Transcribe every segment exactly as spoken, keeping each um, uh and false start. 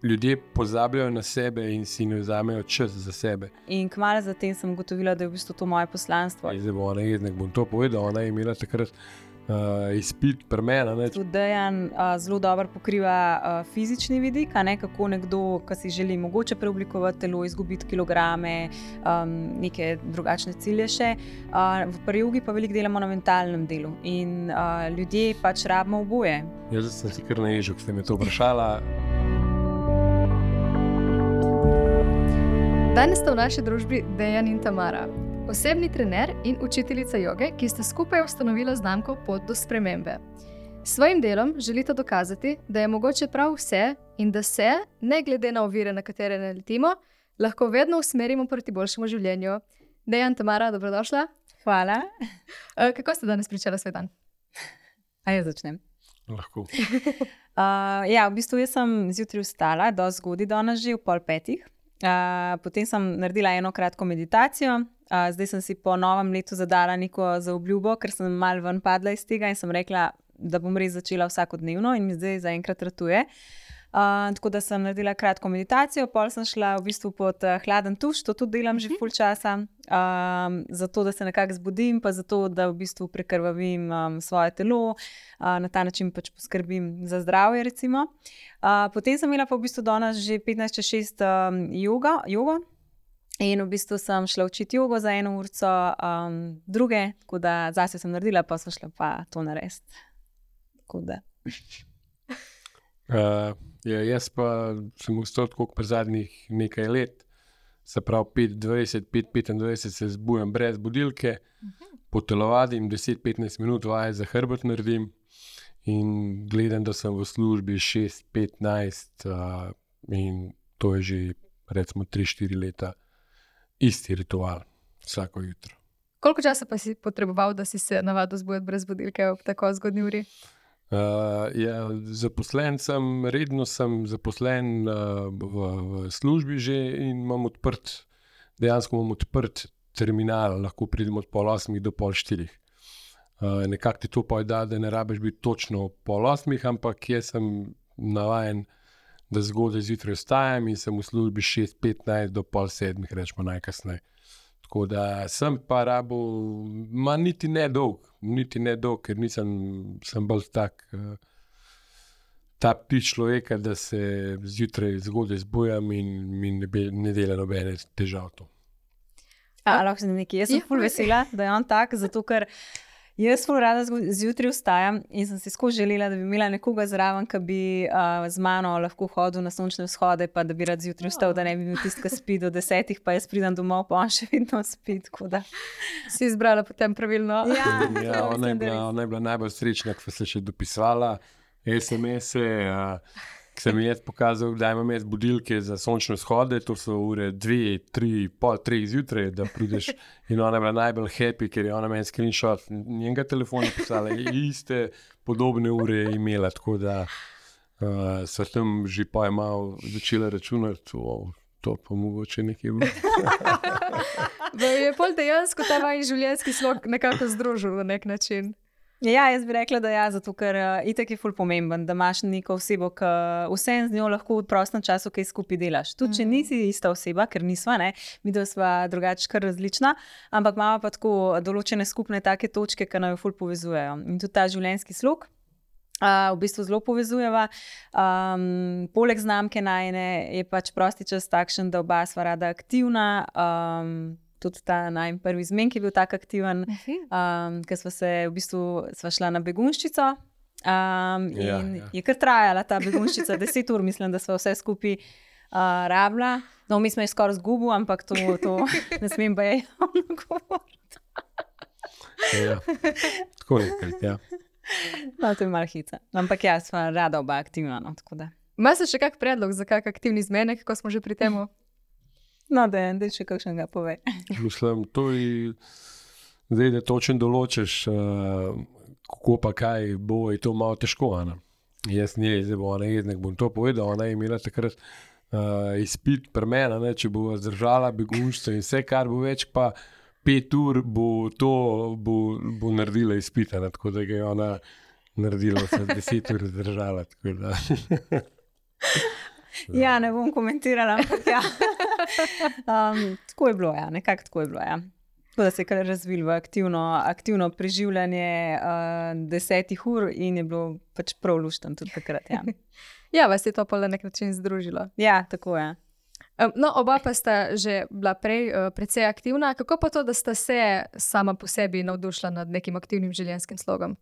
ljudje pozabljajo na sebe in si ne vzamejo čas za sebe. In kmalu zatem sem ugotovila, da je v bistvu to moje poslanstvo. Zdaj bo ona jeznek, bom to povedal, ona je imela takrat uh, izpit pri meni. Tudi Dejan uh, zelo dobro pokriva uh, fizični vidik, a ne, kako nekdo, ki si želi mogoče preoblikovati telo, izgubiti kilograme, um, neke drugačne cilje še. Uh, v Pri-jogi pa veliko delamo na mentalnem delu in uh, ljudje pač rabimo oboje. Jaz sem si kar naježil, ko ste me to vprašala. Danes sta v naši družbi Dejan in Tamara, osebni trener in učiteljica joge, ki sta skupaj ustanovila znamko Pot do spremembe. S svojim delom želita dokazati, da je mogoče prav vse in da se, ne glede na ovire, na katere naletimo, lahko vedno usmerimo proti boljšemu življenju. Dejan, Tamara, dobrodošla. Hvala. Kako ste danes pričala svoj dan? A jaz začnem? Lahko. uh, ja, v bistvu jaz sem zjutraj vstala, dosti zgodaj danes že, v pol petih. Uh, potem sem naredila eno kratko meditacijo, uh, zdaj sem si po novem letu zadala neko zaobljubo, ker sem malo ven padla iz tega in sem rekla, da bom res začela vsakodnevno in mi zdaj zaenkrat ratuje. Uh, tako da sem naredila kratko meditacijo, pol sem šla v bistvu pod uh, hladen tuš, to tudi delam že ful časa, um, zato da se nekako zbudim, pa zato da v bistvu prekrvavim um, svoje telo, uh, na ta način pač poskrbim za zdravje recimo. Uh, potem sem imela pa v bistvu danes že petnajst čez šest um, joga, jogo in v bistvu sem šla učiti jogo za eno urco um, druge, tako da zase sem naredila, pa sem šla pa to narediti. Tako da. Uh, ja, jaz pa sem vstal tako pri zadnjih nekaj let, se pravi pet dvajset, pet petindvajset se zbujam brez budilke, uh-huh. potelovadim deset petnajst minut, vaje za hrbet naredim in gledam, da sem v službi šest petnajst uh, in to je že recimo tri štiri leta isti ritual vsako jutro. Koliko časa pa si potreboval, da si se navadil zbujati brez budilke ob tako zgodnji uri? Uh, ja, zaposlen sem, redno sem zaposlen uh, v, v službi že in imam odprt, dejansko imam odprt terminal, lahko pridem od pol osmih do pol štirih. Uh, nekako ti to pojda, da ne rabiš biti točno pol osmih, ampak jaz sem navajen, da zgodaj zjutraj vstajam in sem v službi šest petnajst do pol sedmih, rečemo najkasneje. Tako da sem pa rabo, ma niti ne dolg, niti ne dolg, ker nisem, sem bolj tak, uh, ta ptič človeka, da se zjutraj zgodaj zbujam in mi ne, be, ne dela nobene težav to. A, lahko sem nekaj, jaz sem ful vesela, da je on tak, zato ker jaz ful rada zjutraj vstajam in sem si skozi želela, da bi imela nekoga zraven, ki bi uh, z mano lahko hodil na sončne vzhode, pa da bi rad zjutraj vstal, da ne bi bil tisti, ki spi do desetih, pa jaz pridem domov, pa on še vedno spi, tako da. Si izbrala potem pravilno. Ja, ja ona, je bila, ona je bila najbolj srečna, ko se še dopisvala es em es-e, uh, ki sem jaz pokazal, da imam jaz budilke za sončne vzhode, to so ure dve, tri, pol treh zjutraj, da prideš in ona je bila najbolj happy, ker je ona meni screenshot njenega telefona pisala, iste podobne ure je imela, tako da uh, so tam že pa je malo začela računati, oh, to pa mogoče nekaj bilo. Je pol dejansko ta vaš življenjski slog nekako združil na nek način. Ja, jaz bi rekla, da ja, zato ker uh, itak je ful pomemben, da imaš neko osebo, ki vsem z njo lahko v prostem času kaj skupaj delaš. Tudi, če nisi ista oseba, ker nisva, ne, mi da sva drugače kar različna, ampak imamo pa tako določene skupne take točke, ki naj jo ful povezujejo. In tudi ta življenjski slog uh, v bistvu zelo povezujeva. Um, poleg znamke najne je pač prosti čas takšen, da oba sva rada aktivna, um, tudi ta najn prvi zmenk je bil tak aktiven, um, ker sva se v bistvu sva šla na begunščico um, in ja, ja. je kar trajala ta begunščica, deset ur, mislim, da sva vse skupaj uh, rabila. No, mi smo je skoraj zgubil, ampak to, to ne smem pa je javno govoriti. Ja, tako nekaj, ja. No, to je malo hica. Ampak ja, sva rada oba aktivna, no, tako da. Ima se še kak predlog za kak aktivni zmenek, ko smo že pri temu? No, da je še kakšnega pove. Mislim, to je, zdaj, da točno določiš, uh, kako pa kaj bo, je to malo težko, Ana. Jaz njej, zdaj bo ona jeznek, bom to povedal, ona je imela takrat uh, izpit pri meni, ne, če bo zdržala begunstvo in vse, kar bo več, pa pet ur bo to, bo, bo naredila izpita, ne, tako da ga je ona naredila vse deset ur zdržala, tako da. Ja, ne bom komentirala, ampak ja. Um, tako je bilo, ja, nekako tako je bilo, ja. Tako da se je kar razvil v aktivno, aktivno preživljanje uh, desetih ur in je bilo pač prav luštno tudi takrat, ja. Ja, vas je to pa na nek način združilo. Ja, tako je. Um, no, oba pa sta že bila prej uh, precej aktivna. Kako pa to, da sta se sama po sebi navdušila nad nekim aktivnim življenjskim slogom?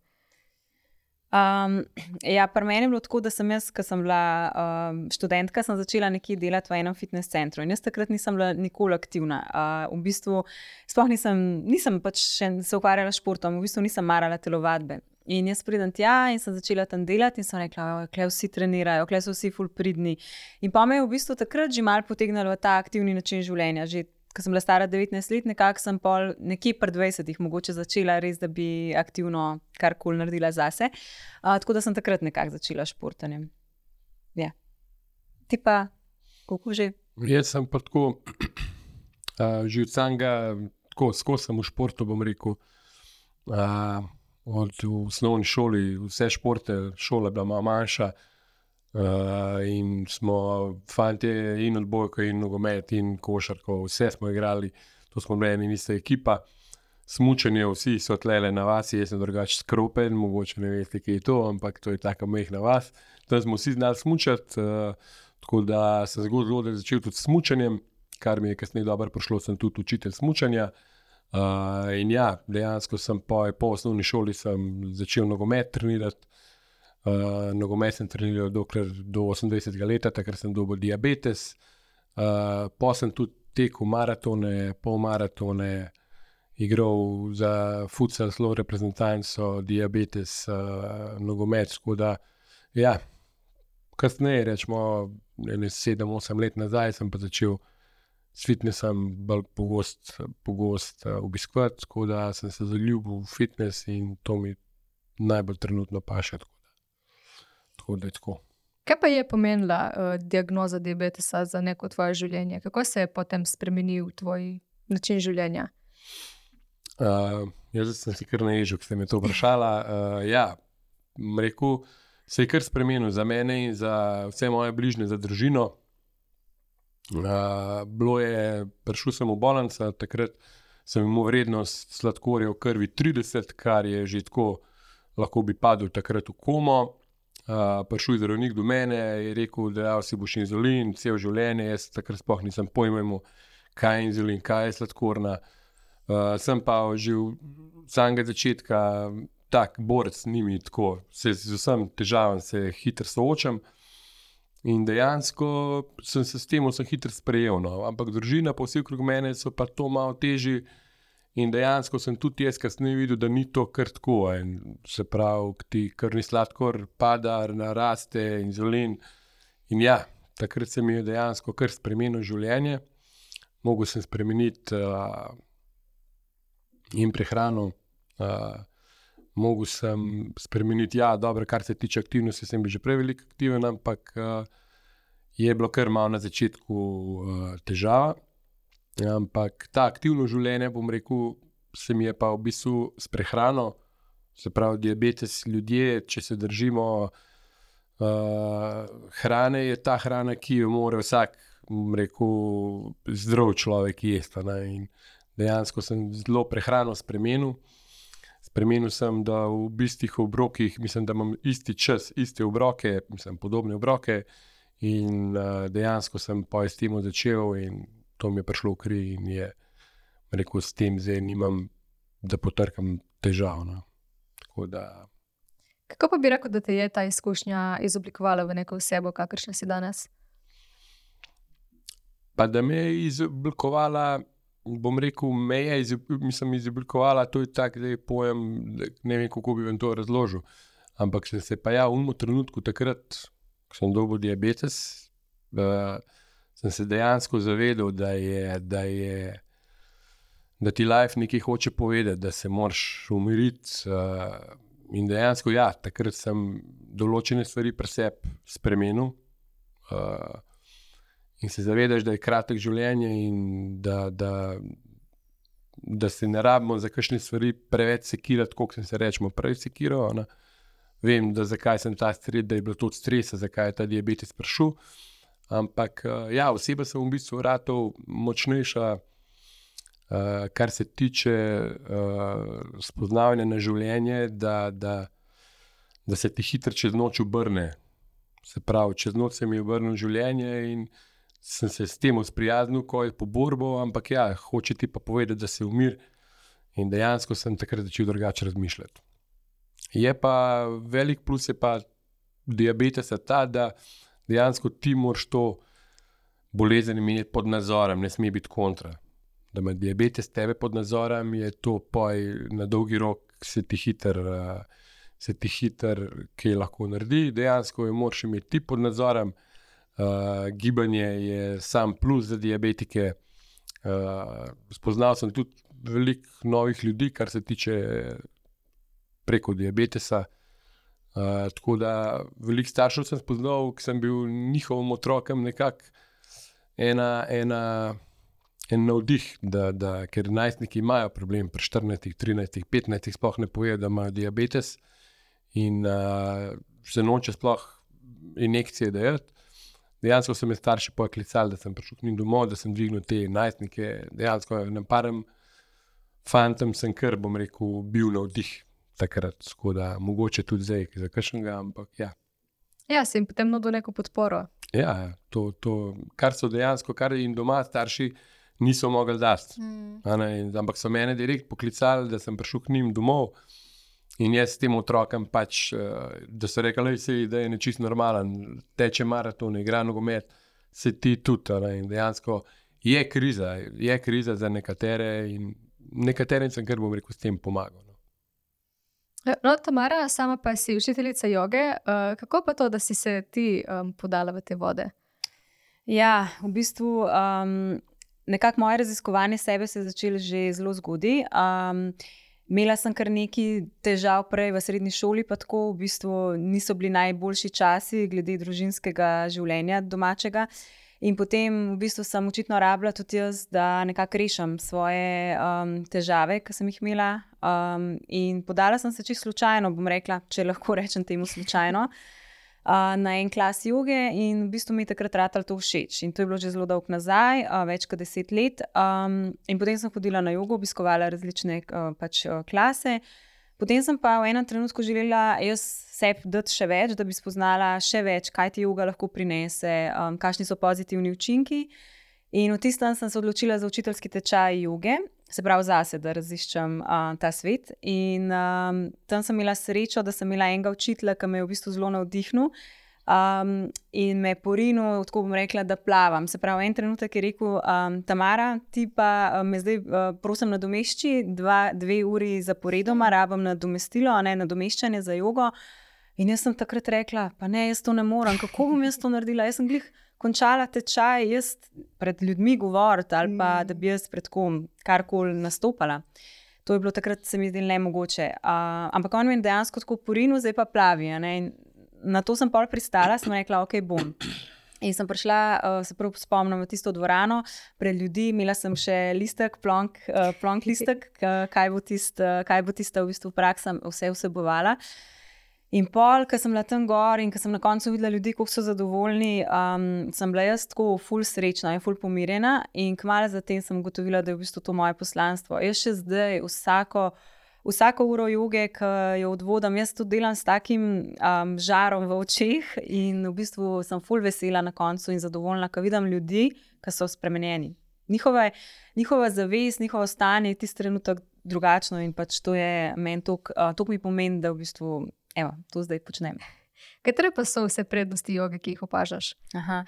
Um, ja, pri meni je bilo tako, da sem jaz, ko sem bila um, študentka, sem začela nekje delati v enem fitness centru in jaz takrat nisem bila nikoli aktivna. Uh, v bistvu sploh nisem, nisem pač še se ukvarjala s športom, v bistvu nisem marala telovadbe. In jaz pridem tja in sem začela tam delati in sem rekla, kle vsi trenirajo, kle so vsi ful pridni. In pa me je v bistvu takrat že malo potegnilo v ta aktivni način življenja. Že ko sem bila stara devetnajst let, nekako sem pol nekje pri dvajsetih mogoče začela res, da bi aktivno karkoli naredila zase. Uh, tako da sem takrat nekako začela s športanjem. Ja. Ti pa, koliko že? Jaz sem pa tako, uh, že od samega, tako skozi sem v športu, bom rekel, uh, od v osnovni šoli, vse športe, šola je bila malo manjša, Uh, in smo fantje in odbojko in nogomet in košarko, vse smo igrali, to smo bili ena in ista ekipa. Smučanje, vsi so tlele na vasi, jaz sem drugače skropen, mogoče ne veste, kaj je to, ampak to je taka mehna vas. Tam smo vsi znali smučati, uh, tako da sem zelo zelo začel tudi s smučanjem, kar mi je kasneje dobro prišlo, sem tudi učitelj smučanja. Uh, in ja, dejansko sem po, po osnovni šoli sem začel nogomet trenirati. Uh, nogomet sem treniral dokler do osemindvajsetega leta, takrat sem dobil diabetes. Uh, pa sem tudi tekel maratone, polmaratone, igral za futsal, zelo reprezentanco, diabetes, uh, nogomet. Tako da, ja, kasneje, rečemo, sedem osem let nazaj, sem pa začel s fitnessom bolj pogost, pogost uh, obiskovati, tako da sem se zaljubil v fitness in to mi najbolj trenutno paše. Tako da je tako. Kaj pa je pomenila uh, diagnoza diabetesa za neko tvoje življenje? Kako se je potem spremenil tvoj način življenja? Uh, jaz sem si kar naježil, ko ste me to vprašala. Uh, ja, rekel, se je kar spremenil za mene in za vse moje bližnje, za družino. Uh, bilo je, prišel sem v bolnico, takrat sem imel vrednost sladkorja v krvi trideset, kar je že tako, lahko bi padel takrat v komo. Uh, prišel je zdravnik do mene in je rekel, da ja, si boš inzulin, cel življenje. Jaz takrat sploh nisem pojma imel, kaj je inzulin, kaj je sladkorna. Uh, sem pa že od samega začetka tak borec z njimi, tako se z vsem težavam se hitro soočam. In dejansko sem se s tem sem hitro sprejel. No. Ampak družina pa vsi okrog mene so pa to malo težji. In dejansko sem tudi jaz kasneje videl, da ni to kar tako. In se pravi, ti krvni sladkor pada, naraste, inzulin. In ja, takrat se mi je dejansko kar spremenilo življenje. Mogel sem spremeniti uh, in prehrano. Uh, mogel sem spremeniti, ja, dobro, kar se tiče aktivnosti, sem bil že prej veliko aktiven, ampak uh, je bilo kar malo na začetku uh, težava. Ampak ta aktivno življenje, bom rekel, se mi je pa v bistvu s prehrano, se pravi diabetes, ljudje, če se držimo uh, hrane, je ta hrana, ki jo mora vsak, bom rekel, zdrav človek jesti. In dejansko sem zelo prehrano spremenil. Spremenil sem, da v bistih obrokih, mislim, da imam isti čas, iste obroke, mislim, podobne obroke in uh, dejansko sem pa s tem začel in to mi je prišlo v kri in je, rekel, s tem zdaj nimam, da potrkam težav. No. Tako da... Kako pa bi rekel, da te je ta izkušnja izoblikovala v neko osebo, kakršna si danes? Pa da me je izoblikovala, bom rekel, me je mislim, izoblikovala, to je tak zdaj pojem, ne vem, kako bi vam to razložil, ampak sem se pa ja v umu trenutku takrat, ko sem dobil diabetes, uh, sem se dejansko zavedal, da je, da je, da ti life nekaj hoče povedati, da se moraš umiriti. Uh, in dejansko, ja, takrat sem določene stvari pri sebi spremenil. Uh, in se zavedaš, da je kratek življenje in da, da, da se ne rabimo za kakšne stvari preveč sekirati, koliko sem se rečemo prej sekiral. Ne. Vem, da zakaj sem ta stres, da je bilo to od stresa, zakaj je ta diabetes prišel. Ampak uh, ja, oseba sem v bistvu ratov močnejša, uh, kar se tiče uh, spoznavanja na življenje, da, da, da se ti hitro čez noč obrne. Se pravi, čez noč se mi je obrnilo življenje in sem se s tem sprijaznil, ko je po borbo, ampak ja, hoče ti pa povedati, da se umir in dejansko sem takrat začel drugače razmišljati. Je pa velik plus je pa diabetesa ta, da dejansko ti moraš to bolezen imeti pod nadzorom, ne sme biti kontra. Da ima diabetes tebe pod nadzorom, je to poj na dolgi rok se ti hiter, se ti hiter kaj lahko naredi, dejansko je moraš imeti ti pod nadzorom. Uh, gibanje je sam plus za diabetike. Uh, spoznal sem tudi veliko novih ljudi, kar se tiče preko diabetesa. Uh, tako da veliko staršev sem spoznal, ki sem bil njihovim otrokom nekako ena, ena, en navdih, da, da, ker najstniki imajo problem pri štirinajstih, trinajstih, petnajstih sploh ne povejo, da imajo diabetes in uh, se noče sploh injekcije dajati. Dejansko so me starši poklicali, da sem prišel k njim domov, da sem dvignil te najstnike. Dejansko na parem fantom sem kar, bom rekel, bil navdih takrat. Tako da mogoče tudi zdaj, za kakšnega, ampak ja. Ja, si jim potem nudil neko podporo. Ja, to, to, kar so dejansko, kar jim doma starši niso mogli dati. Mm. Ampak so mene direkt poklicali, da sem prišel k njim domov. In jaz s tem otrokom pač, da so rekli, da je nečisto normalen, teče maraton, igra nogomet, se ti tudi. In dejansko je kriza, je kriza za nekatere in nekaterim sem kar, bom rekel, s tem pomagal. No, no Tamara, sama pa si učiteljica joge. Kako pa to, da si se ti um, podala v te vode? Ja, v bistvu um, nekako moje raziskovanje sebe se je začelo že zelo zgodaj. Um, Imela sem kar nekaj težav prej v srednji šoli, pa tako v bistvu niso bili najboljši časi glede družinskega življenja domačega. In potem v bistvu sem očitno rabila tudi jaz, da nekako rešim svoje um, težave, ki sem jih imela. Um, in podala sem se čisto slučajno, bom rekla, če lahko rečem temu slučajno, uh, na en klas joge in v bistvu mi je takrat ratalo to všeč. In to je bilo že zelo dolgo nazaj, uh, več kot deset let. Um, in potem sem hodila na jogo, obiskovala različne uh, pač, uh, klase. Potem sem pa v enem trenutku želela jaz sebi dati še več, da bi spoznala še več, kaj ti joga lahko prinese, um, kakšni so pozitivni učinki. In v tistem sem se odločila za učiteljski tečaj joge, se pravi zase, da raziščem uh, ta svet. In um, tam sem imela srečo, da sem imela enega učitelja, ki me je v bistvu zelo navdihnil um, in me porinil, tako bom rekla, da plavam. Se pravi, en trenutek je rekel, um, Tamara, ti pa um, me zdaj uh, prosim nadomešči, dva, dve uri zaporedoma, rabim nadomestilo, a ne nadomeščanje za jogo. In jaz sem takrat rekla, pa ne, jaz to ne morem, kako bom jaz to naredila? Jaz sem glih končala tečaj, jaz pred ljudmi govoriti ali pa da bi jaz pred kom karkoli nastopala. To je bilo takrat, se mi zdelo nemogoče. Uh, ampak on mi je dejansko tako porinil, zdaj pa plavi. Ne? In na to sem pol pristala, sem rekla, ok, bom. In sem prišla, uh, se prav spomnim, v tisto dvorano pred ljudi, imela sem še listek, plonk, uh, plonk listek, kaj bo, tist, uh, kaj bo tista v bistvu praksa vse vsebovala. In pol, ko sem bila tam gor in ko sem na koncu videla ljudi, kako so zadovoljni, um, sem bila jaz tako ful srečna in ful pomirjena in kmalu zatem sem ugotovila, da je v bistvu to moje poslanstvo. Jaz še zdaj vsako, vsako uro joge, ki jo odvodam, jaz to delam s takim um, žarom v očeh in v bistvu sem ful vesela na koncu in zadovoljna, ko vidim ljudi, ki so spremenjeni. Njihova, njihova zavest, njihovo stanje je tisti trenutek drugačno in pač to je meni toliko, uh, toliko mi pomeni, da v bistvu evo, to zdaj počnem. Katere pa so vse prednosti joge, ki jih opažaš? Aha.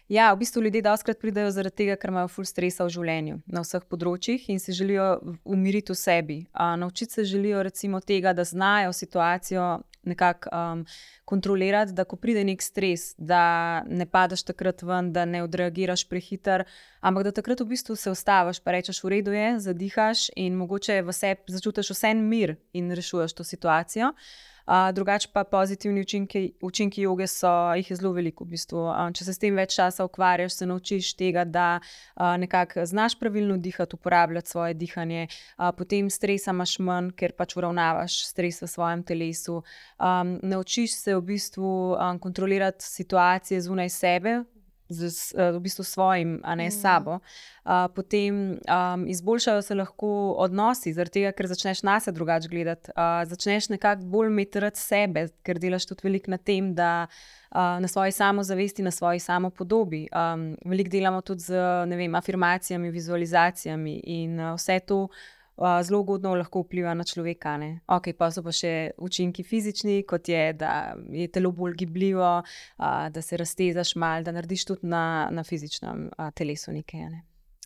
Ja, v bistvu ljudje dostikrat pridejo zaradi tega, ker imajo ful stresa v življenju na vseh področjih in se želijo umiriti v sebi. A, naučiti se želijo recimo tega, da znajo situacijo nekako um, kontrolirati, da ko pride nek stres, da ne padeš takrat ven, da ne odreagiraš prehiter, ampak da takrat v bistvu se ustaviš, pa rečeš, v redu je, zadihaš in mogoče v sebi začutiš vsem mir in rešuješ to situacijo. Uh, drugače pa pozitivni učinki, učinki joge so, jih je zelo veliko v bistvu. Uh, če se s tem več časa ukvarjaš, se naučiš tega, da uh, nekako znaš pravilno dihati, uporabljati svoje dihanje, uh, potem stresa imaš manj, ker pač uravnavaš stres v svojem telesu. Um, naučiš se v bistvu um, kontrolirati situacije zunaj sebe, z, z v bistvu svojim, a ne Mm. sabo, uh, potem um, izboljšajo se lahko odnosi, zaradi tega, ker začneš nase drugače gledati, uh, začneš nekako bolj imeti rad sebe, ker delaš tudi veliko na tem, da uh, na svoji samozavesti, na svoji samopodobi. Um, veliko delamo tudi z, ne vem, afirmacijami, vizualizacijami in uh, vse to Uh, zelo ugodno lahko vpliva na človeka. Ne? Ok, pa so pa še učinki fizični, kot je, da je telo bolj gibljivo, uh, da se raztezaš malo, da narediš tudi na, na fizičnem uh, telesu nekaj. Ne?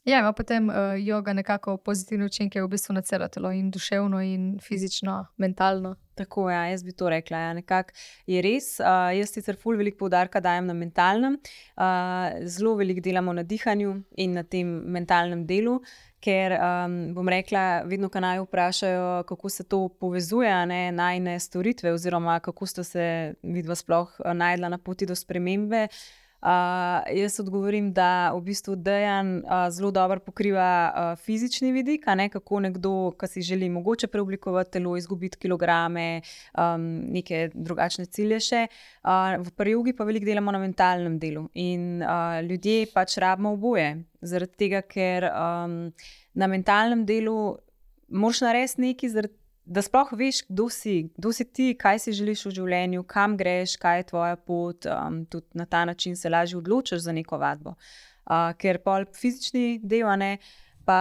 Ja, ima potem uh, joga nekako pozitivne učinke v bistvu na celo telo, in duševno, in fizično, mentalno. Tako, ja, jaz bi to rekla. Ja. Nekako je res. Uh, jaz sicer ful veliko poudarka dajem na mentalnem, uh, zelo veliko delamo na dihanju in na tem mentalnem delu. Ker um, bom rekla, vedno, ko naj vprašajo, kako se to povezuje, ne, najne storitve, oziroma kako ste se vidva sploh najdla na poti do spremembe. Uh, jaz odgovorim, da v bistvu Dejan uh, zelo dobro pokriva uh, fizični vidik, a ne, kako nekdo, ki si želi mogoče preoblikovati telo, izgubiti kilograme, um, neke drugačne cilje še. Uh, v prjogi pa veliko delamo na mentalnem delu in uh, ljudje pač rabimo oboje. Zaradi tega, ker um, na mentalnem delu moraš narediti nekaj, zaradi, da sploh veš, kdo si, kdo si ti, kaj si želiš v življenju, kam greš, kaj je tvoja pot. Um, tudi na ta način se lažje odločiš za neko vadbo. Uh, ker pol fizični del, ne, pa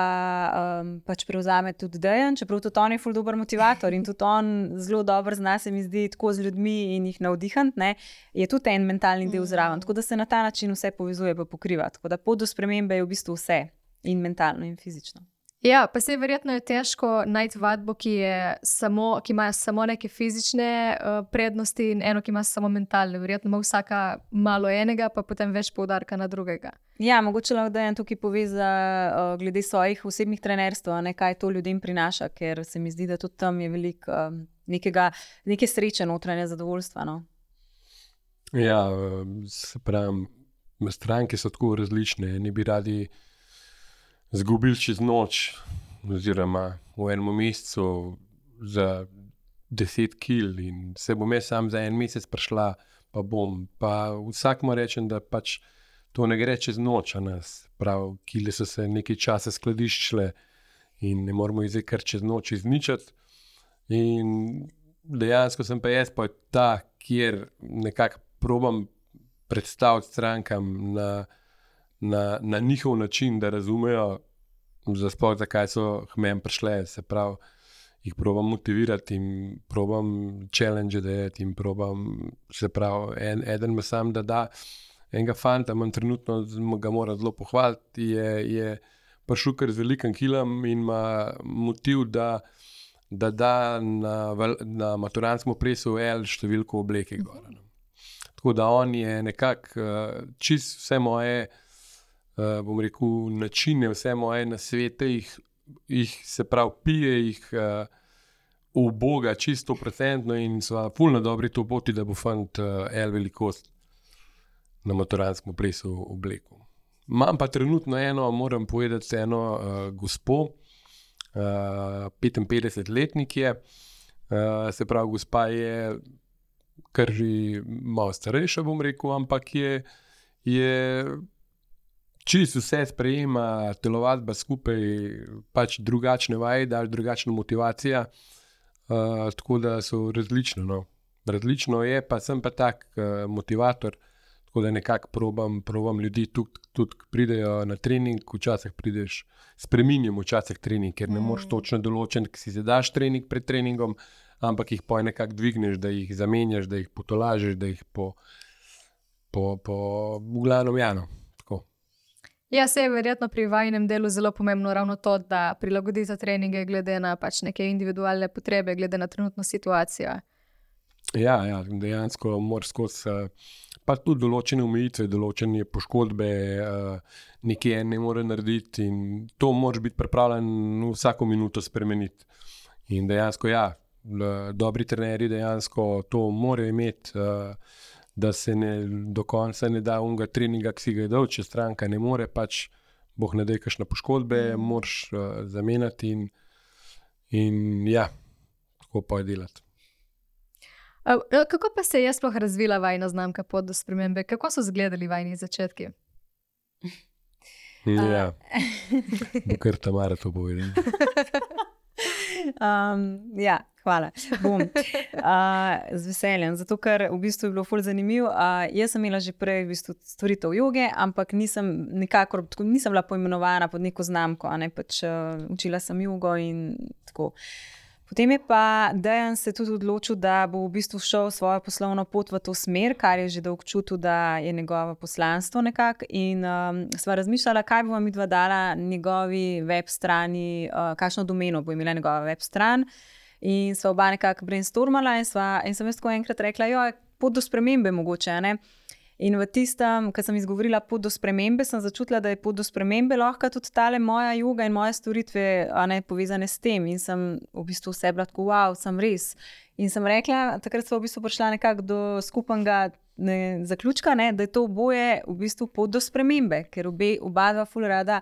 um, pač prevzame tudi Dejan, čeprav tudi on je ful dober motivator in tudi on zelo dobro zna, se mi zdi, tako z ljudmi in jih navdihant, ne, je tudi en mentalni del zraven. Tako da se na ta način vse povezuje pa pokriva. Tako da pot do spremembe je v bistvu vse, in mentalno in fizično. Ja, pa se verjetno je težko najti vadbo, ki, je samo, ki ima samo neke fizične uh, prednosti, in eno, ki ima samo mentalne. Verjetno ima vsaka malo enega, pa potem več poudarka na drugega. Ja, mogoče lahko Dejan tukaj poveza uh, glede svojih osebnih trenerstv, ne, kaj to ljudem prinaša, ker se mi zdi, da tudi tam je veliko uh, nekega, neke sreče, notranje zadovoljstva. No. Ja, se pravim, stranke so tako različne. Ne bi radi zgubili čez noč, oziroma v enem mesecu za deset kil, in se bom jaz sam za en mesec prišla, pa bom. Pa vsakmu rečem, da pač to ne gre čez noč, a nas. Prav, kile so se nekaj časa skladiščile in ne moramo jih zdaj kar čez noč izničiti. In dejansko sem pa jaz pa ta, kjer nekako probam predstaviti strankam na Na, na njihov način, da razumejo, sploh zakaj so k meni prišle. Se pravi, jih probam motivirati in probam challenge dajati in probam, se pravi, en, eden me sam, da da enega fanta, imam trenutno, ga moram zelo pohvaliti, je, je prišel kar z velikim kilom in ima motiv, da da, da na, na maturantskem plesu L številko obleke gor. Tako da on je nekako uh, čist vse moje Uh, bom rekel, načine, vse moje nasvete, jih, jih se prav pije, jih uh, uboga čisto procentno in sva ful na dobri to poti, da bo fant uh, L velikost na maturantskem plesu obleku. Imam pa trenutno eno, moram povedati, eno uh, gospo, uh, petinpetdesetletnik je, uh, se pravi, gospa je kar že malo starejša, bom rekel, ampak je, je čisto vse sprejema, telovadba skupaj, pač drugačne vaje, daš drugačna motivacija, uh, tako da so različne. No. Različno je, pa sem pa tak uh, motivator, tako da nekako probam, probam ljudi tudi, tudi pridejo na trening, včasih prideš, spreminjam včasih trening, ker ne moreš točno določen, ki si zadaš trening pred treningom, ampak jih poj nekako dvigneš, da jih zamenjaš, da jih potolažeš, da jih po, po, po v glavnem jano. Ja, se je verjetno pri vajinem delu zelo pomembno ravno to, da prilagodite treninge glede na pač neke individualne potrebe, glede na trenutno situacijo. Ja, ja, dejansko moraš skozi pa tudi določene omejitve, določene poškodbe, nekaj en ne more narediti in to moraš biti pripravljen vsako minuto spremeniti. In dejansko ja, dobri trenerji dejansko to morajo imeti, da se ne, do konca ne da unga treninga, ki si ga je dal, če stranka ne more, pač boh ne daj kakšne poškodbe, mm. moraš uh, zamenjati in, in ja, tako pa je delati. A, kako pa se je sploh razvila vajna znamka Pot do spremembe? Kako so izgledali vajni začetki? Ja, bo kar Tamara to povedala. Um, ja, hvala. Bom. Uh, z veseljem, zato ker v bistvu je bilo ful zanimivo. Uh, jaz sem imela že prej v bistvu storitev joge, ampak nisem nikakor, tako, nisem bila poimenovana pod neko znamko, a ne pač uh, učila sem jogo in tako. Potem je pa Dejan se tudi odločil, da bo v bistvu šel svojo poslovno pot v to smer, kar je že dolgo čutil, da je njegovo poslanstvo nekako. In um, sva razmišljala, kaj bova midva dala njegovi web strani, uh, kakšno domeno bo imela njegova web stran. In sva oba nekako brainstormala in, sva, in sem jaz tako enkrat rekla, jo, pot do spremembe mogoče, ne? In v tistem, ko sem izgovorila pot do spremembe, sem začutila, da je pot do spremembe lahko tudi tale moja joga in moje storitve, a ne, povezane s tem. In sem v bistvu vse bila tako, wow, sem res. In sem rekla, takrat smo v bistvu prišla nekako do skupnega ne, zaključka, ne, da je to oboje v bistvu pot do spremembe, ker obe, oba dva ful rada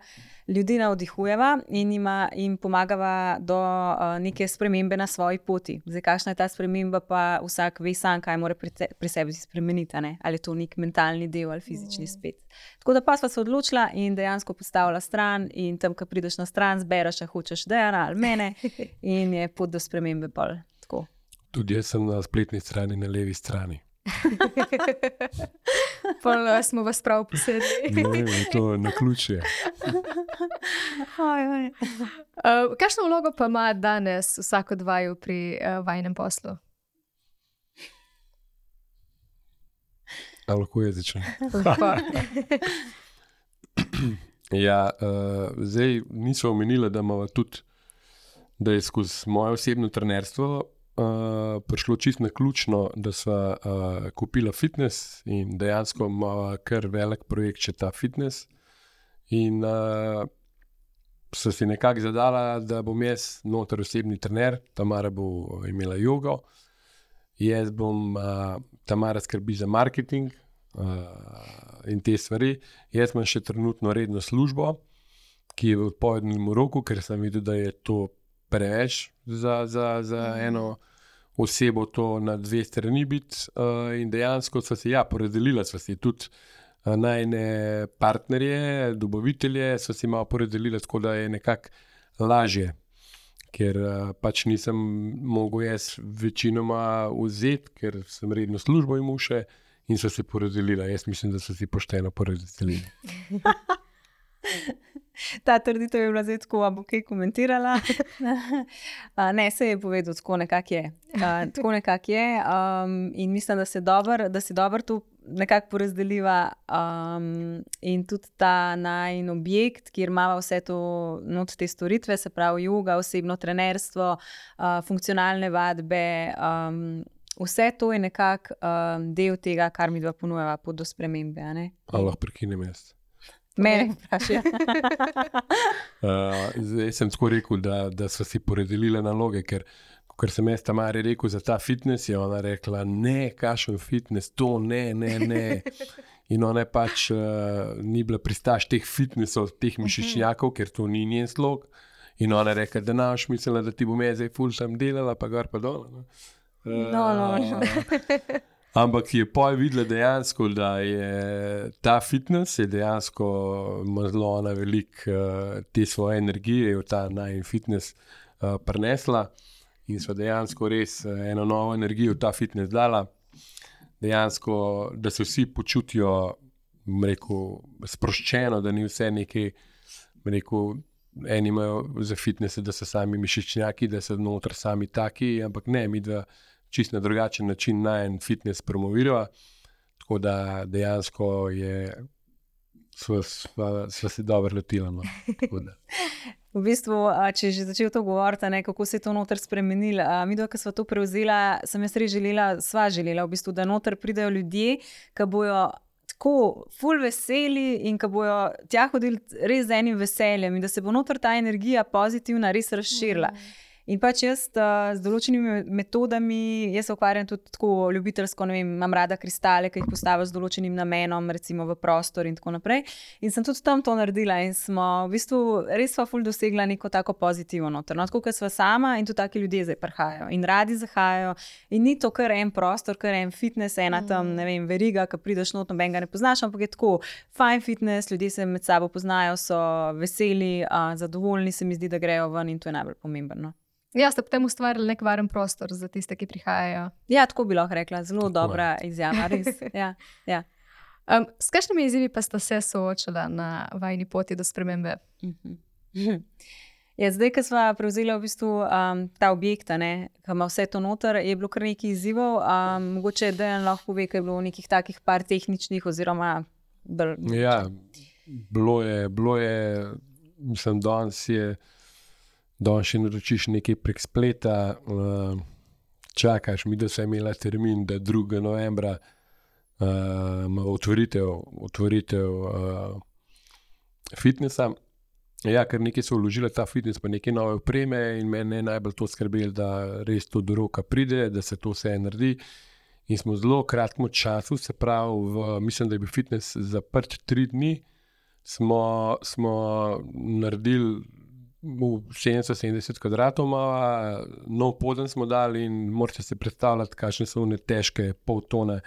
ljudi navdihujeva in jima, jim pomagava do uh, neke spremembe na svoji poti. Zdaj, kakšna je ta sprememba, pa vsak ve sam, kaj mora pri, te, pri sebi spremeniti, ne? Ali je to nek mentalni del ali fizični spet. Tako da pa sva se odločila in dejansko postavila stran in tam, ko prideš na stran, zbereš, a hočeš Dejana ali mene in je pot do spremembe pol. Tako. Tudi jaz sem na spletni strani, na levi strani. Pol smo vas prav posedli. Ne, to je na ključje. Uh, kakšno vlogo pa ima danes vsak od vaju pri uh, vajinem poslu? A lahko je začel? Ja, uh, zdaj nismo omenili, da imamo tudi, da je skozi moje osebno trenerstvo Uh, prišlo čisto na ključno, da sva uh, kupila fitness in dejansko ima kar velik projekt še ta fitness. In uh, so si nekako zadala, da bom jaz noter osebni trener, Tamara bo imela jogo, jaz bom, uh, Tamara skrbi za marketing uh, in te stvari. Jaz imam še trenutno redno službo, ki je v odpovednem roku, ker sem videl, da je to preveč za, za, za eno osebo to na dve strani biti uh, in dejansko sva se ja, porazdelila, sva si tudi uh, najne partnerje, dobavitelje, sva si malo porazdelila, tako da je nekako lažje, ker uh, pač nisem mogel jaz večinoma vzeti, ker sem redno službo imel še in sva se porazdelila. Jaz mislim, da sva si pošteno porazdelila. Ta trditev je bila zdaj tako, bo kaj komentirala. Ne, se je povedal, tako nekako je. Uh, tako nekako je um, in mislim, da se dobro, da si dobro to nekako porazdeliva um, in tudi ta najin objekt, kjer imava vse to not te storitve, se pravi joga, osebno trenerstvo, uh, funkcionalne vadbe, um, vse to je nekako um, del tega, kar mi dva ponujava pot do spremembe. A ne? A lahko prekinem jaz? Mene vprašaj. uh, zdaj sem tako rekel, da, da so si porazdelile naloge, ker ker sem jaz Tamari rekel za ta fitness, je ona rekla, ne, kakšen fitness, to ne, ne, ne. In ona je pač uh, ni bila pristaš teh fitnessov, teh mišičnjakov, ker to ni njen slog. In ona je rekla, da naš mislila, da ti bom jaz zdaj ful sam delala, pa gor pa dol. No, uh, no, no. Ampak je pol videla dejansko, da je ta fitness je dejansko ima zelo ona velik uh, te svoje energije, je v ta najin fitness uh, prinesla in so dejansko res uh, eno novo energijo v ta fitness dala. Dejansko, da se vsi počutijo, rekel, sproščeno, da ni vse nekaj, rekel, eni imajo za fitnesse, da so sami mišičnjaki, da so noter sami taki, ampak ne, mi dva čisto na drugačen način na en fitness promovirava, tako da dejansko je sva, sva, sva se dobro lotila. No. V bistvu, če že začel to govoriti, ne, kako se je to noter spremenilo, mi dva, ko sva to prevzela, sem jaz res želela, sva želela, v bistvu, da noter pridejo ljudje, ki bojo tako ful veseli in ki bojo tja hodili res z enim veseljem in da se bo noter ta energija pozitivna res razširila. In pač jaz uh, z določenimi metodami, jaz se ukvarjam tudi tako ljubiteljsko, ne vem, imam rada kristale, ki jih postavim z določenim namenom, recimo v prostor in tako naprej. In sem tudi tam to naredila in smo v bistvu res sva ful dosegla neko tako pozitivno noter. No, tako kot sva sama in tudi taki ljudje zdaj prihajajo in radi zahajajo. In ni to kar en prostor, kar en fitness, ena tam, ne vem, veriga, ki prideš not, nobenega ne poznaš, ampak je tako fajn fitness, ljudje se med sabo poznajo, so veseli, uh, zadovoljni, se mi zdi, da grejo ven in to je najbolj pomembno. Ja, ste potem ustvarili nek varen prostor za tiste, ki prihajajo. Ja, tako bi lahko rekla, zelo Tako dobra izjava, res. Ja, ja. Um, s kakšnimi izzivi pa ste se soočala na vajini poti do spremembe? Mhm. Ja, zdaj, ko smo prevzeli v bistvu um, ta objekt, ne, ki ima vse to noter, je bilo kar nekaj izzivov. Um, mogoče Dejan lahko pove, kaj je bilo nekih takih par tehničnih oziroma bolj... Ja, bilo je, bilo je, mislim, danes je, danes še naročiš nekaj prek spleta, uh, čakaš mi, da se je imela termin, da drugega novembra uh, ima otvoritev, otvoritev uh, fitnessa. Ja, ker nekaj so vložili ta fitness, pa nekaj nove opreme in mene je najbolj to skrbelo, da res to do roka pride, da se to vse naredi. In smo v zelo kratkem času, se pravi, v, mislim, da je bil fitness zaprt tri dni, smo, smo naredili sedemsto sedemdeset kvadratov, malo, nov poden smo dali in morate se predstavljati, kakšne so one težke pol tone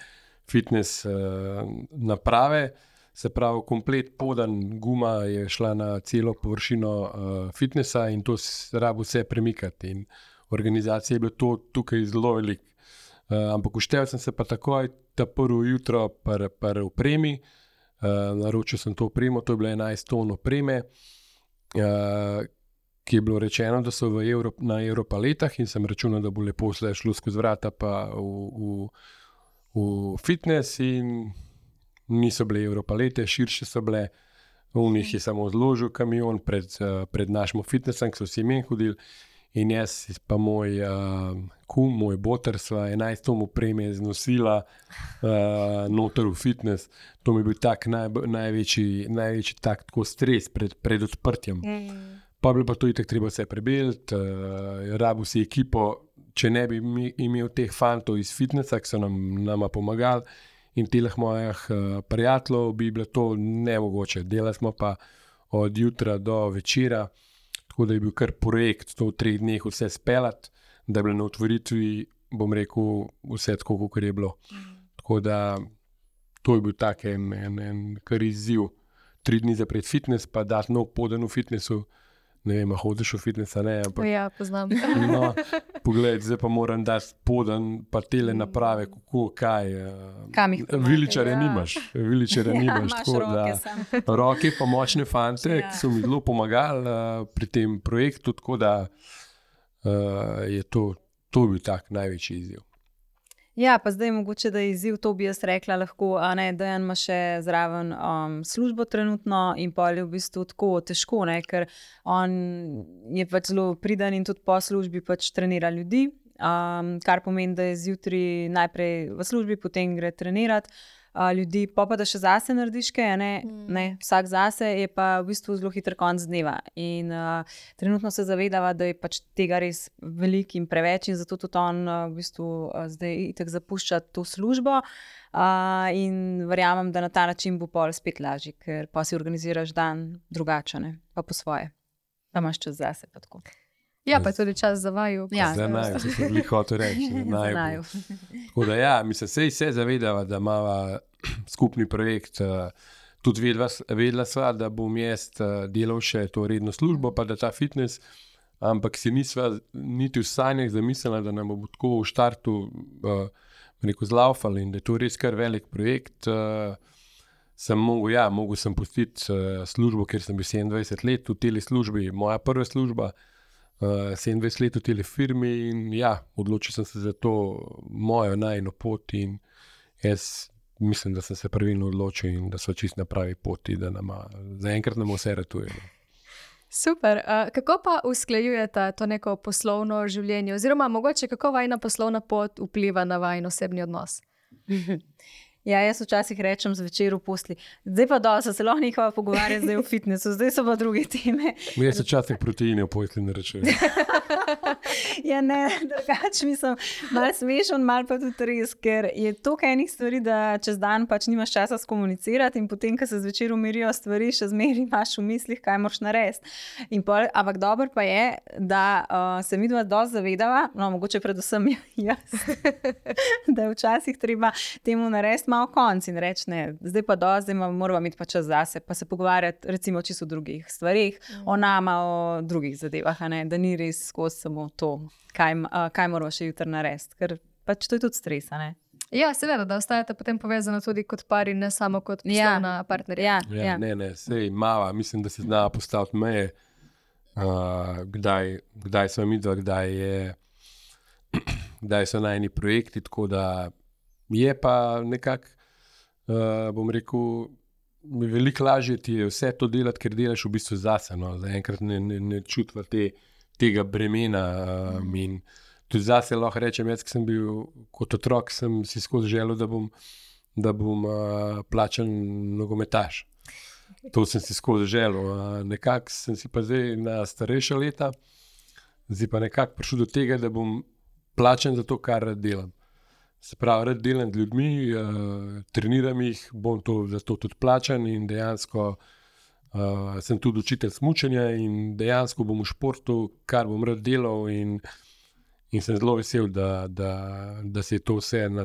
fitness uh, naprave. Se pravi, komplet podan guma je šla na celo površino uh, fitnessa in to rabo vse premikati. In organizacija je bila to tukaj zelo velik. Uh, ampak uštev sem se pa takoj ta prvo jutro pri par opremi, uh, naročil sem to opremo, to je bilo enajst ton opreme, uh, ki je bilo rečeno, da so v Euro, na Europaletah in sem računal, da bo lepo vse šlo skozi vrata pa v, v, v fitness in niso bile Europalete, širše so bile, v njih je samo zložil kamion pred, pred našim fitnessom, ki so vsi men hodili in jaz pa moj uh, kum, moj boter sva enajst ton opreme znosila uh, noter v fitness. To mi je bil tak naj, največji, največji tak tako stres pred, pred odprtjem. Mm. Pa bi bilo pa to itak treba vse prebeliti, uh, rabil si ekipo, če ne bi imel teh fantov iz fitnessa, ki so nam nama pomagali, in teh mojih uh, prijateljev bi bilo to nemogoče. Delali smo pa od jutra do večera, tako da je bil kar projekt to v treh dneh vse speljati, da je bilo na otvoritvi, bom rekel, vse tako, kot je bilo. Mm. Tako da to je bil tak en, en, en kar izziv. Tri dni zapret fitness, pa dati nov poden v fitnessu. Ne vem, a hodiš v fitness, ne, ampak... Ja, poznam. No, pogled, zdaj pa moram dati poden, pa tele naprave, kako, kaj. Kam jih pomagaj, Viličarja ja. nimaš, viličarja Ja, nimaš. imaš Tako, roke da, samo. roke pa močne fante, Ja. ki so mi zelo pomagali uh, pri tem projektu, tako da uh, je to, to bil tak največji izziv. Ja, pa zdaj mogoče, da je izziv, to bi jaz rekla lahko, a ne, Dejan ima še zraven um, službo trenutno in pol je v bistvu tako težko, ne, ker on je pač zelo priden in tudi po službi pač trenira ljudi, um, kar pomeni, da je zjutraj najprej v službi, potem gre trenirati uh, ljudi, pa pa da še zase narediš kaj, ne, mm. ne, vsak zase je pa v bistvu zelo hiter konc dneva in uh, trenutno se zavedava, da je pač tega res velik in preveč in zato tudi on uh, v bistvu uh, zdaj itak zapušča to službo uh, in verjamem, da na ta način bo pol spet lažji, ker pa si organiziraš dan drugače, ne, pa po svoje, pa imaš čas zase pa tako. Ja, pa je tudi čas za vaju. Ja, Za naju, se sem bili hotel reči. Za naju. Tako da ja, mislim, sej se zavedava, da imava skupni projekt. Uh, tudi vedela, vedela sva, da bom jaz uh, delal še to redno službo, pa da ta fitness, ampak si nisva niti v sanjah zamislila, da nam bo tako v štartu uh, rekel zlaufali in da je to res kar velik projekt. Uh, sem mogel, ja, mogel sem pustiti uh, službo, ker sem bil sedemindvajset let v teli službi, moja prva služba, uh, sedemindvajset let v teli firmi in ja, odločil sem se za to mojo najino pot in jaz mislim, da sem se pravilno odločil in da so čist na pravi poti, da nama, zaenkrat nam vse ratuje. Super. Uh, kako pa usklajujete to neko poslovno življenje oziroma mogoče kako vajna poslovna pot vpliva na vajin osebni odnos? Ja, jaz včasih rečem zvečer v posli, zdaj pa dosti, se lahko nekaj pogovarja zdaj v fitnessu, zdaj so pa druge teme. Jaz včasih proteine v posli ne rečem. Ja, ne, drugače mislim, malo smešen, malo pa tudi res, ker je toliko enih stvari, da čez dan pač nimaš časa skomunicirati in potem, ko se zvečer umirijo stvari, še zmeraj imaš v mislih, kaj moraš narediti. In pol, ampak dobro pa je, da uh, se midva dosti zavedava, no, mogoče predvsem jaz, da je včasih treba temu narediti malo konc in reči, ne, zdaj pa do, zdaj moramo imeti pa čas zase, pa se pogovarjati recimo čisto o drugih stvarih, mm. o nama, o drugih zadevah, a ne, da ni res skozi samo to, kaj, uh, kaj moramo še jutri narediti, ker pač to je tudi stres, a ne. Ja, seveda, da ostajate potem povezano tudi kot par in ne samo kot poslovna ja. partnerja. Ja, ja, ja. Ne, ne, sej mava, mislim, da se zna postaviti meje, uh, kdaj, kdaj smo midva, kdaj je kdaj so najni projekti, tako da je pa nekako, uh, bom rekel, veliko lažje ti je vse to delati, ker delaš v bistvu zase. No. Zaenkrat ne, ne, ne čutva te, tega bremena. Um, in tudi zase lahko rečem, jaz, ki sem bil kot otrok, sem si skozi želel, da bom, da bom uh, plačan nogometaš. To sem si skozi želel. Uh, nekako sem si pa zdaj na starejša leta, zdaj pa nekako prišel do tega, da bom plačan za to, kar rad delam. Se pravi, rad delam z ljudmi, uh, treniram jih, bom to, za to tudi plačan in dejansko uh, sem tudi učitelj smučanja in dejansko bom v športu, kar bom rad delal in, in sem zelo vesel, da, da, da se je to vse na,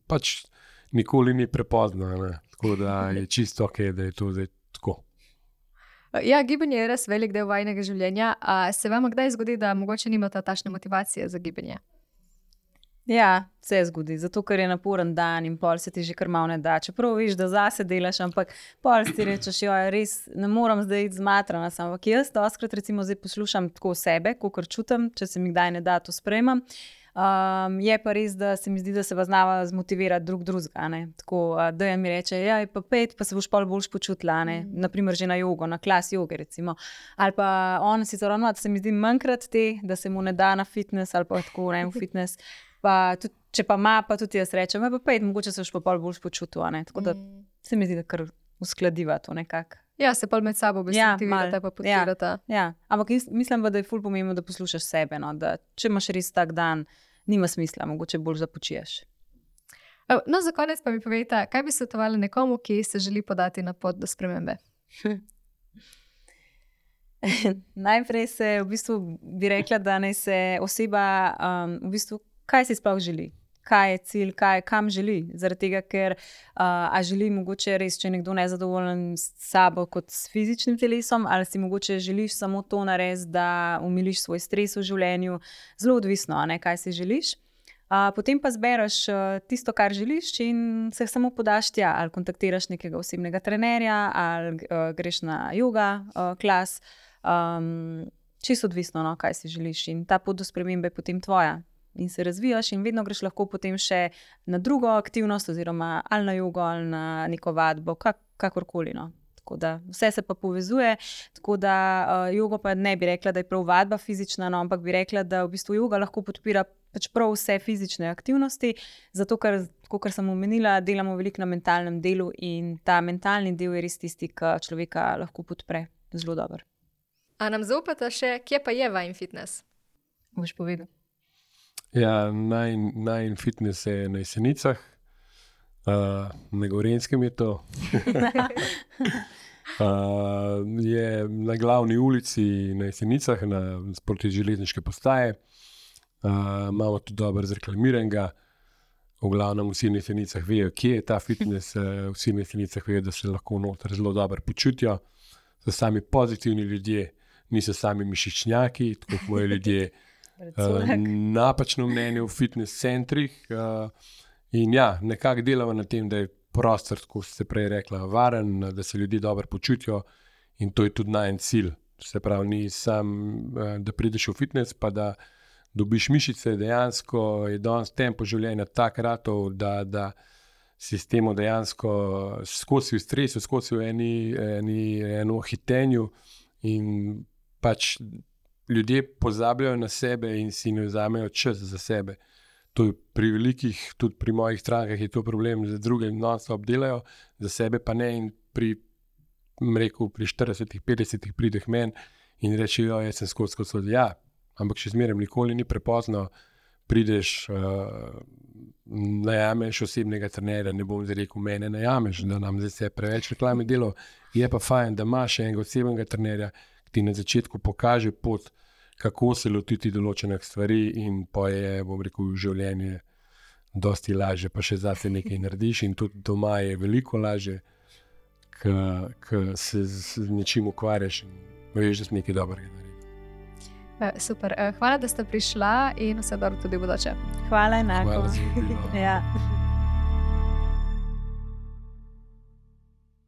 pač nikoli ni prepozno, ne? Tako da je čisto ok, da je to zdaj tako. Ja, gibanje je res velik del vajnega življenja. A se vam kdaj zgodi, da mogoče nimate takšne motivacije za gibanje? Ja, se zgodi, zato ker je naporen dan in pol se ti že kar malo ne da. Čeprav viš, da zase delaš, ampak pol si rečeš, jo, res ne moram zdaj iti zmatrana. Ampak jaz doskrat recimo zdaj poslušam tako sebe, kakor čutim, če se mi kdaj ne da, to sprejemam. Um, je pa res, da se mi zdi, da se vas znava zmotivirati drug drugega. Tako, da je mi reče, ja, pa pet, pa se boš pol boljš počutila, ne? Mm. Naprimer že na jogo, na klas joge recimo. Ali pa on si zelo ravno, da se mi zdi manjkrat te, da se mu ne da na fitness ali pa tako, ne, v fitness. Pa tudi, če pa ima, pa tudi jaz rečem, pa pet, mogoče se boš pa pol boljš počutil, ne? Tako da mm. se mi zdi, da kar uskladiva to nekako. Ja, se pol med sabo besedivirate, ja, pa podpirate. Ja, ja. Ampak mislim, da je ful pomembno, da poslušaš sebe, no? Da če imaš res tak dan, nima smisla, mogoče bolj započiješ. No, za konec pa mi povejte, kaj bi svetovali nekomu, ki se želi podati na pot do spremembe? Najprej se v bistvu bi rekla, da naj se oseba um, v bistvu, kaj si sploh želi, kaj je cilj, kaj, kam želi. Zaradi tega, ker uh, a želi mogoče res, če je nekdo nezadovoljen s sabo kot s fizičnim telesom, ali si mogoče želiš samo to narediti, da umiliš svoj stres v življenju, zelo odvisno, ne, kaj si želiš. Uh, potem pa zbereš uh, tisto, kar želiš in se samo podaš tja, ali kontaktiraš nekega osebnega trenerja, ali uh, greš na yoga uh, klas. Um, čisto odvisno, no, kaj si želiš in ta pot do spremembe je potem tvoja. In se razvijaš in vedno greš lahko potem še na drugo aktivnost oziroma ali na jogo ali na neko vadbo, kak, kakorkoli. No. Tako da vse se pa povezuje, tako da uh, jogo pa ne bi rekla, da je prav vadba fizična, no, ampak bi rekla, da v bistvu joga lahko podpira pač prav vse fizične aktivnosti, zato ker, kot sem omenila, delamo veliko na mentalnem delu in ta mentalni del je res tisti, ki človeka lahko podpre zelo dobro. A nam zaupate še, kje pa je vajen fitness? Boš povedal. Ja, naj, najin fitness je na Jesenicah, uh, na Gorenjskem je to. uh, je na glavni ulici na Jesenicah, na sproti železniške postaje. Uh, imamo tudi dobro zreklamiranega. V glavnem vsi na Jesenicah vejo, kje je ta fitness, uh, vsi na Jesenicah vejo, da se lahko noter zelo dobro počutijo. So sami pozitivni ljudje, niso sami mišičnjaki, tako kot moji ljudje. Uh, napačno mnenje v fitness centrih uh, in ja, nekako delamo na tem, da je prostor, kot ste prej rekla, varen, da se ljudje dobro počutijo in to je tudi najen cilj. Se pravi, ni sam, uh, da prideš v fitness, pa da dobiš mišice, dejansko je danes tempo življenja tak ratov, da, da si s tem dejansko skozi v stresu, skozi v eni, eni, eno hitenju in pač ljudje pozabljajo na sebe in si ne vzamejo čas za sebe. To je pri velikih, tudi pri mojih strankah je to problem, za druge non-stop delajo, za sebe pa ne in pri, rekel, pri štiridesetih, petdesetih prideh meni in rečejo, jaz sem skozi skozi, ja, ampak še zmeraj nikoli ni prepozno, prideš, uh, najameš osebnega trenerja, ne bom zdaj rekel, mene najameš, da nam zdaj se preveč reklame delo, je pa fajn, da imaš enega osebnega trenerja, ki ti na začetku pokaže pot, kako se lotiti določenih stvari in pa je, bom rekel, življenje dosti lažje, pa še zase nekaj narediš in tudi doma je veliko lažje, ko se z nečim ukvarjaš in veš, da si nekaj dobrega naredil. Super, hvala, da ste prišla in vse dobro tudi v bodoče. Hvala enako. Hvala za vabilo. Ja.